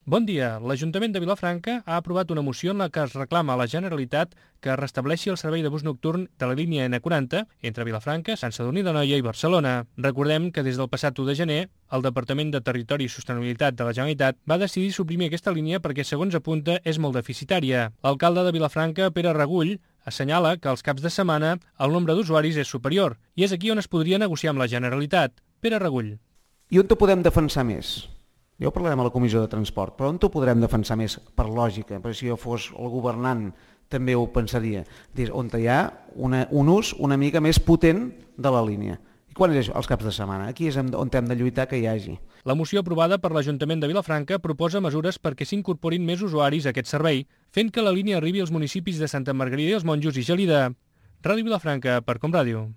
Bon dia. L'Ajuntament de Vilafranca ha aprovat una moció en la que es reclama a la Generalitat que es restableixi el servei de bus nocturn de la línia N40 entre Vilafranca, Sant Sadurní d'Anoia i Barcelona. Recordem que des del passat 1 de gener el Departament de Territori i Sostenibilitat de la Generalitat va decidir suprimir aquesta línia perquè, segons apunta, és molt deficitària. L'alcalde de Vilafranca, Pere Regull, assenyala que als caps de setmana el nombre d'usuaris és superior i és aquí on es podria negociar amb la Generalitat. Pere Regull. I on ho podem defensar més? Ja ho parlarem a la Comissió de Transport, però on ho podrem defensar més per lògica? Perquè si jo fos el governant també ho pensaria. On hi ha un ús una mica més potent de la línia. I quan és això? Els caps de setmana. Aquí és on hem de lluitar que hi hagi. La moció aprovada per l'Ajuntament de Vilafranca proposa mesures perquè s'incorporin més usuaris a aquest servei, fent que la línia arribi als municipis de Santa Margarida i els Monjos i Gelida. Ràdio Vilafranca, per Com Ràdio.